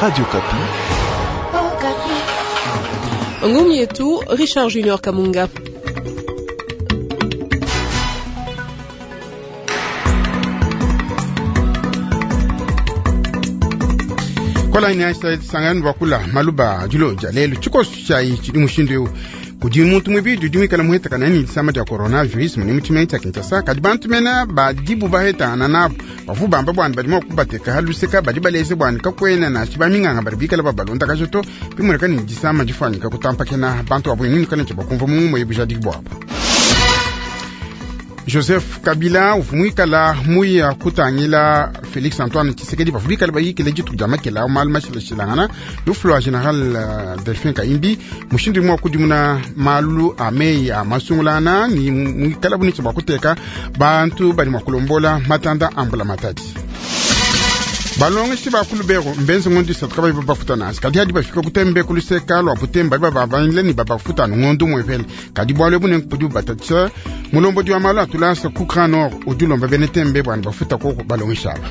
Radio Okapi. Ngumu yetu Richard Junior Kamunga. Kola ina sangani bakula maluba julo jalelu chikosu chai chidi mushindu eu kudi muntu muibidi udi muikale muhetakana ne disama dia coronavirus mune mu tshimenga tshia Kinshasa. Kadi bantu mena badibu bahetangana nabu bavu bamba bwani badi mua kubateka haluseka badi baleze bwani kakwena nashi baminganga badi bikala babalondakaja to bimoneka ne disama difuanyika kutampakena bantu abo nini kana bakumva mu bujadiki bwabo. Joseph Kabila uvua muikala muya kutangila Felix Antoine Tshisekedi bavua bikala bayikile dituku dia makela malu mashilashilangana lufu lua General Delphin Kahimbi mushindu umue wa kudimuna malu a meyi a masungulana ni muikala bunitshi bua kuteka bantu badi mua kulombola matanda a mbula matadi. Balongeshi ba ku Lubero mbenze ngondo isatu kabayi babafuta nansi kadi hadi bafika kutembe kuluseka lua butembe badi bababangile ne babafuta anu ngondo umuepele kadi bualu ebu nenku budi bubatatshisha mulombodi wa malu a tulasa ku Grand Nord udi ulomba bena tembe bua ne bafuta koko balongeshi aba.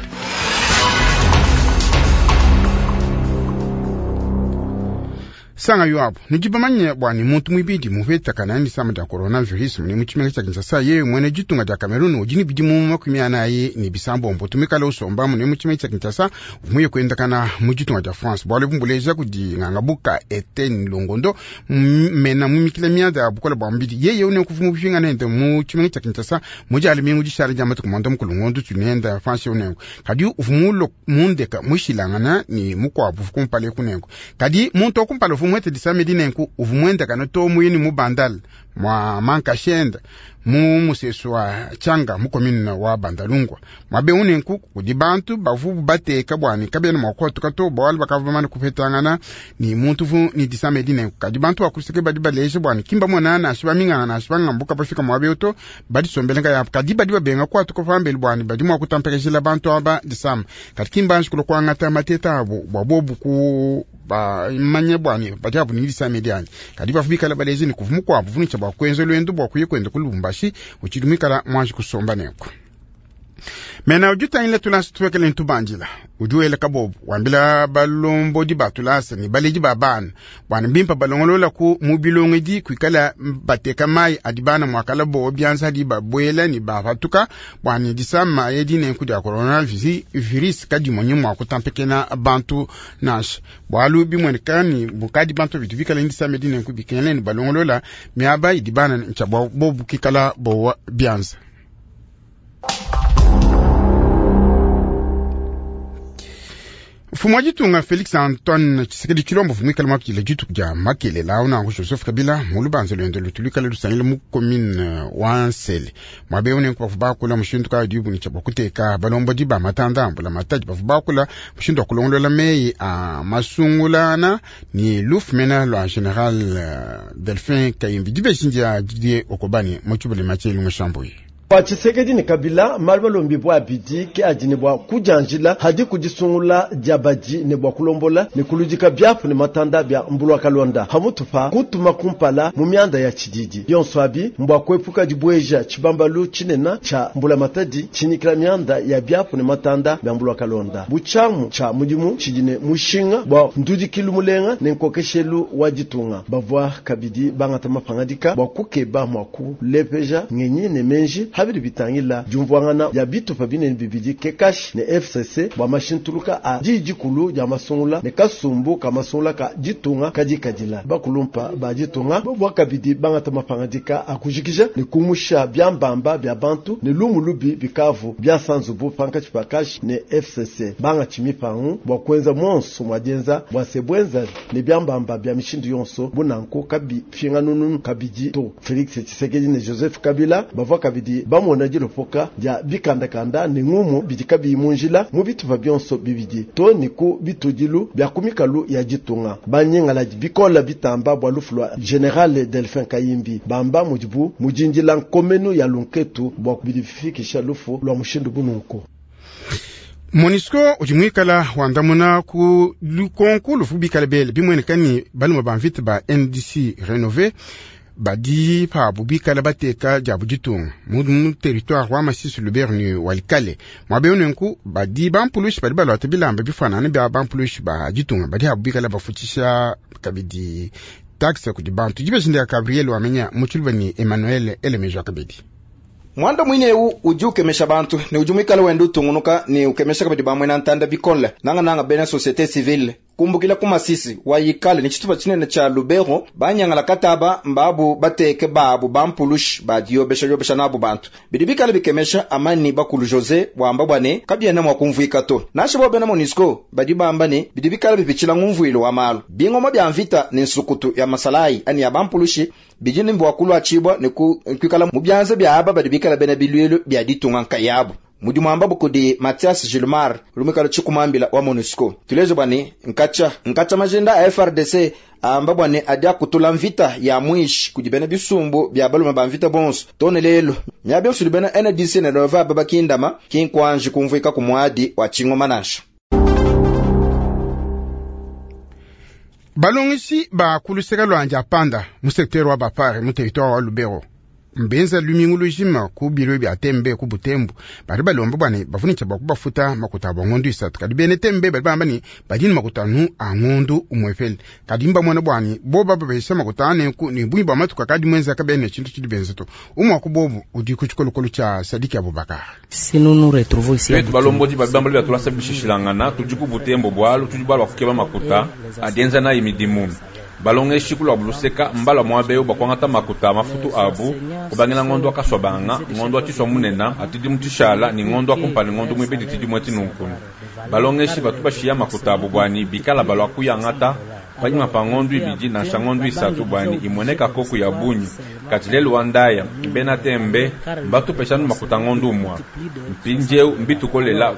Sanga yo abu nudi bamanye bua ne muntu muibidi mupetakana ne disama dia coronavirus mune mu tshimenga tshia Kinshasa yeye muena ditunga dia Cameroun udi ne bidimu 46 tumikala usomba mune mu tshimenga tshia Kinshasa uvua muye kuendakana mu ditunga dia France bualu ebu mbuleja kudi ngangabuka Etienne Longondo mena mumikila mianda ya bukole bua mubidi yeye une kuvu mupingana nende mu tshimenga tshia Kinshasa mu dia lumingu dishala dia matuku mwanda mukulu ngondo tunenda France unengo kadi uvua mulo mundeka mushilangana ni mukuabu uvua kumpala kunengo kadi muntu wakumpala uvua muete disama edi nenku uvua muendakana to muyini mu Bandal mwa mankashenda mu musesu wa Tshanga mu commune wa Bandalungwa mwabe unenku kudi bantu bavu bateka bwani kabena mwa kuatuka to bwali bakava bamane kupetangana ni muntu vu ni disama edi nenku kadi bantu bakuseke badi baleje bwani kimba mona nashi baminganga nashi bangambuka bafika mwabe oto badi sombelenga yapo kadi badi babenga kuatuka pambeli bwani badi mwa kutampekezela bantu aba disama kadi kimba nshikulo kuangata mateta abo bwa bobu ku bamanye bwani badi abu ni disama edi ani kadi bavu bikala baleje ni kuvu mukuabu vunicha bwa kuenza lwendo bwa kuye kwenda ku Lubumbashi utshidi muikala mwanji kusomba nenku. Mena udi utangila tulasa tuwekele ntubandila udi wela kabobu wambila balombodi ba tulasa ne baledi ba bana bwana mbimpa balongolola ku mu bilongedi kuikala bateka mayi adi bana muakala bowa bianza adi babuela ne bapatuka bwana disama edi nenku dia coronavirus kadimonyi mua kutampekena bantu nansha bualu bimueneka ni bukadi bantu bitu bikala disama edi nenku bikengela ne balongolola miaba idi bana ntshia bobu kikala bowa bianza. Mfumu wa ditunga Felix Antoine Tshisekedi Tshilombo muikale muakidile dituku dia makelela au nanku Joseph Kabila mu lubanza luende lutu luikale lusangile mu commune wa Nsele muaba eu nenku bavua bakula mushindu kayi udibu ne tshia bua kuteka balombodi ba matanda a mbula matadi bavua bakula mushindu wa kulongolola meyi a masungulana ne lufu mena lua General Delphin Kahimbi dibeji ndia Didier Okobani mu tshibuli matshelu mushambuyi. Bua Tshisekedi ne Kabila malu malombi bua abidi ke adi ne bua kudianjila hadi kudisungula dia badi ne bua kulombola ne kuludika biapu ne matanda bia mbulwa kalonda hamutu pa kutuma kumpala mu mianda ya tshididi yonso abi mbua kuepuka dibueja tshibambalu tshinena tsha mbula matadi tshinyikila mianda ya biapu ne matanda bia mbulwa kalonda butshamu tsha mudimu tshidi ne mushinga bua ndudikilu mulenga ne nkokeshelu wa ditunga bavua kabidi bangata mapangadika bua kukeba mua kulepeja ngenyi ne menji habidi bitangila diumvuangana ya bitupa binene bibidi kekashi ne FCC bua mashintuluka a didikulu dia masungula ne kasumbu ka masungula ka ditunga kadi kadila bakulumpa ba ditunga bua kabidi bangata mapangadika akujikija ne kumusha byambamba bya bantu ne lumu lubi bikavu bya sanzubu pankatshi pakashi ne FCC banga tshimipangu bua kuenza monso mwa dienza bua sebwenza ne byambamba bya mishindu yonso bunanko kabi finganunu kabidi to Felix Tshisekedi ne Joseph Kabila bavua kabidi bamona dilopoka dia bikandakanda ne ngumu bidi kabiyi mu njila mu bitupa bionso bibidi to ne ku bitudilu bya ku mikalu ya ditunga banyingala bikola bitamba bua lufu lua General Delphin Kahimbi bamba mudibu mudindila nkomenu ya lunketu bua kubidifikisha lufu lua mushindu bununku. MONUSCO udi muikala wandamuna ku lukonku lufu bikala bele bimueneka ni balume ba mvita ba NDC rénové Badi pabu bikala bateka diabu ditunga mu territoire wa Masisi, Lubero ne Walikale. Muaba eu nenku badi bampulushi badi baluata bilamba bifanane bia bampulushi ba ditunga, badi abu bikala bafutshisha kabidi taxe kudi bantu. Dibeji ndia Gabriel Wamenya mu Tshiluba ne Emmanuel Elemejo kabidi. Mwanda mwine eu udi ukemesha bantu ne udi mwikala wenda utungunuka ne ukemesha kabidi bamwena ntanda bikole nanga nanga bena société civile kumbukila ku Masisi wayikale ni tshitupa tshinene tshia Lubero banyangala kataba mbabu bateke babu bampulushi badiyobesha yobesha nabu bantu bidi bikala bikemesha amani bakulu Jose wamba bwane kabiena mwa kumvuika to nasha bo bena MONUSCO badi bamba ne bidi bikala bipitshila ngumvuilo wa malu bingoma bya mvita ne nsukutu ya masalai ani ya bampulushi bidi ne bua kulua ne kuikala mu byanza bya aba badi bikala bena bilwelu bya ditunga nkayabu mudimu amba kudi Mathias Gilmar lumikalo chikumambila wa MONUSCO tulezo bwani nkacha nkacha majenda a FRDC amba bwani adia kutula mvita ya mwishi kudi bena bisumbu bya balume ba mvita bonso tone lelo nyabyo suli bena NDC ne nova babakindama kinkwanji kumvuika kumwadi wa chingoma nansha. Balongisi ba kuluseka lwanja panda mu secteur wa Bapare mu territoire wa Lubero mbenza lumingu lujima ku biro bya tembe ku Butembo bari balomba bwane bavunika bakubafuta makuta abo ngondu isatu kadi bene tembe bari bamba ni badini makuta nu a ngondu umwefele kadi mba mwana bwani bo baba besha makuta ane ku ni bunyi ba matuka kadi mwenza kabene chintu chidi benza to umwa ku bobu udi ku chikolokolo cha Sadiki Abubakar. Si nous nous retrouvons ici Twetu balomboji babamba bya tulasa bishishilangana tudi ku Butembo bwalu tudi bwalu bafukeba makuta adenza na imidimu balongeshi kulwa buluseka mbala mwabeyo bakwangata makuta mafutu abu kubangila ngondo akaswa banga ngondo atiswa munena atidi mutishala ni ngondo akumpani ngondo mwibedi tidi mweti nunkunu balongeshi batu bashiya makuta abu bwani bikala balwa kuyangata panyima pa ngondo ibidi nansha ngondo isatu bwani imweneka koku ya bunyi kati lelu wa ndaya bena tembe mbatu peshanu makuta ngondo umwa mpinjeu mbitukolela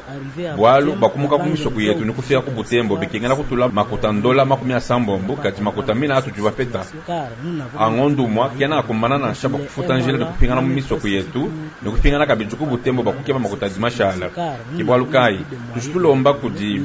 bwalu bakumuka kumisoku yetu ni kufika ku Butembo bikengela kutula makuta ndola 80 kati makuta mina atu juvapeta angondo umwa kena akumana nansha bakufuta njila ni kupingana mu misoku yetu ni kupingana kabidi ku Butembo bakukeba makuta dimashala kibwalu kai tushitulomba kudi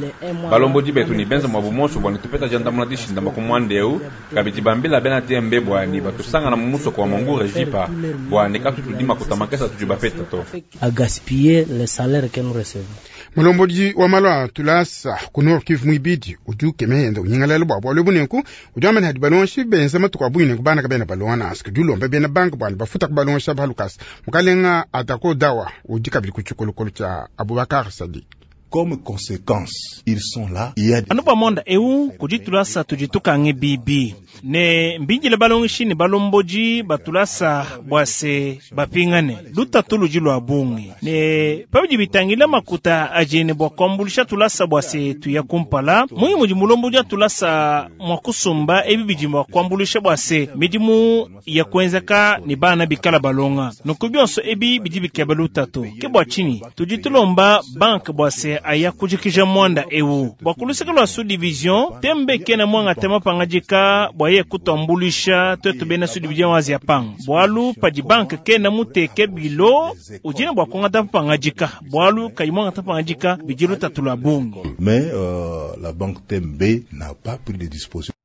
balombodi betu ni benza mwa bumonso bwani tupeta jandamuna dishinda bakumwandeu kabidi bambila bena tembe bwani batusangana mu musoko wa mongu rejipa bwani katutudi makuta makesa tujubapeta to a gaspiller le salaire que nous recevons. Mulombodi wa malwa tulasa ku Nord Kivu mwibidi udi ukemehenda unyingalala bwa bwalo bunenku udi wamene hadi balonshi benza matuku abwine kubana kabena balonga asike udi ulomba bena banka bwani bafuta kubalonsha balukasa mukalenga atako dawa udi kabidi ku tshikolokolo tshia Abubakar Sadiq. Comme conséquence, ils sont là. Il y a Anupa monda eu kujitulasa tujitukange bibi ne mbinjile balongishi ne balomboji batulasa bwase bapingane lutatu luji lwa bungi ne pabidi bitangila makuta ajene bwa kwambulisha tulasa bwase tuya kumpala mungi mudi mulomboji atulasa mwa kusumba ebi bidi bwa kwambulisha bwase midimu ya kuenzeka ni bana bikala balonga nuku byonso ebi bidi bikeba lutatu ke bwa chini tujitulomba bank bwase aya kujikija mwanda ewu bwa kuluseka lwa sous division tembe kena mwanga tema pangajika bwa ye kutambulisha twetu bena sous division wazi ya pang bwalu padi bank kena muteke bilo ujine bwa kongata pangajika bwalu kayi mwanga ta pangajika bijilu tatula bungi. Mais la banque Tembe n'a pas pris de dispositions.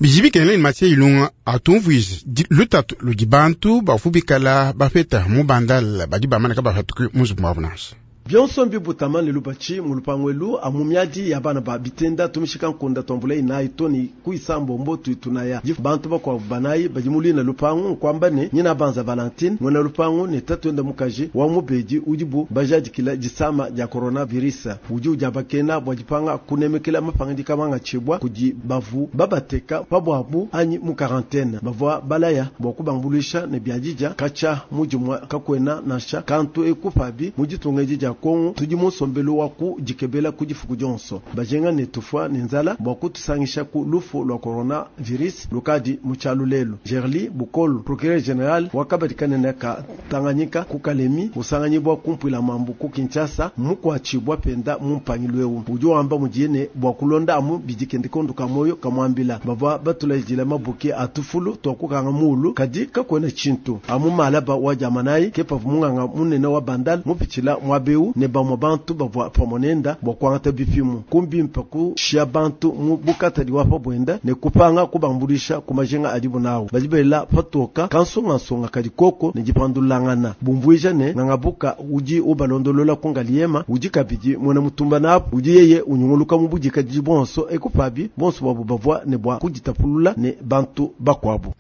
Bijibi kenele ni matie ilunga atumvuizi lutatu ludi bantu bafubikala bapeta mubandala badi bamanaka bafatuki muzubu mwabu nansha. Byonso mbi butama ne lubachi mu lupangwelu amu miadi ya bana ba bitenda tumishika nkunda tombula inayi toni kuisambombo tuitunaya bantu bakwabu banayi badi mulina lupangu nkwamba ne nyina banza Valentine mwena lupangu ne tatwenda mukaji wa mubedi udibu bajadikila disama dia coronavirus udi udiabakena bua dipanga kunemekela mapangandika manga tshibwa kudi bavu babateka pabwabu anyi mu quarantaine bavua balaya bua kubambulisha ne biadija kacha mujimwa kakwena nansha kantu ekupabi muditunga edi dia Kongo tudi musombelo wa ku dikebela ku difuku dionso bajenga ne tufwa ne nzala bua kutusangisha ku lufu lwa coronavirus lukadi mu tshialu lelu. Gerli Bukolo procureur général wakabadikanene ka Tanganyika ku Kalemi usanganyibwa kumpwila mambu ku Kinshasa mukwatshibwa penda mu mpangilu eu udi wamba mudiye bua kulonda amu bidikende kondo ka moyo kamwambila bavua batulajila mabuki atufulu twakukanga mulu kadi kakwena tshintu amu malaba wa jamanayi kepavu munganga munene wa bandal mupitshila mwabeu eu ne bamue bantu bavua pamue nenda bua kuangata bipimu. Ku mbimpa kushiya bantu mu bukatadi wa pa buenda ne kupanga kubambuluisha ku majinga adibu nawu. Badi bela patoka kansungansunga kadi koko ne dipandulangana. Bumvuija ne Ngangabuka udi ubalondolola ku Ngaliema udi kabidi muena mutumba nabu udi yeye unyunguluka mu budikadidi buonso ekupabi bonso babu bavua ne bua kuditapulula ne bantu bakuabu.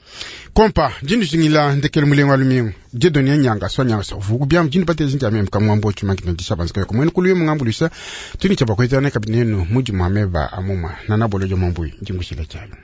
Kompa jindishingila ndekelo mulengo wa lumingu Dieudonné Nyanga swa nyanga sa vuku biam jindi patezi njame mkamwambo chuma kinondisha banzika yako mwene kuluye mungambulisa tuni chapa kwetana kabinenu muji mwameba amuma nanabolo jo mambui njingushila chalo.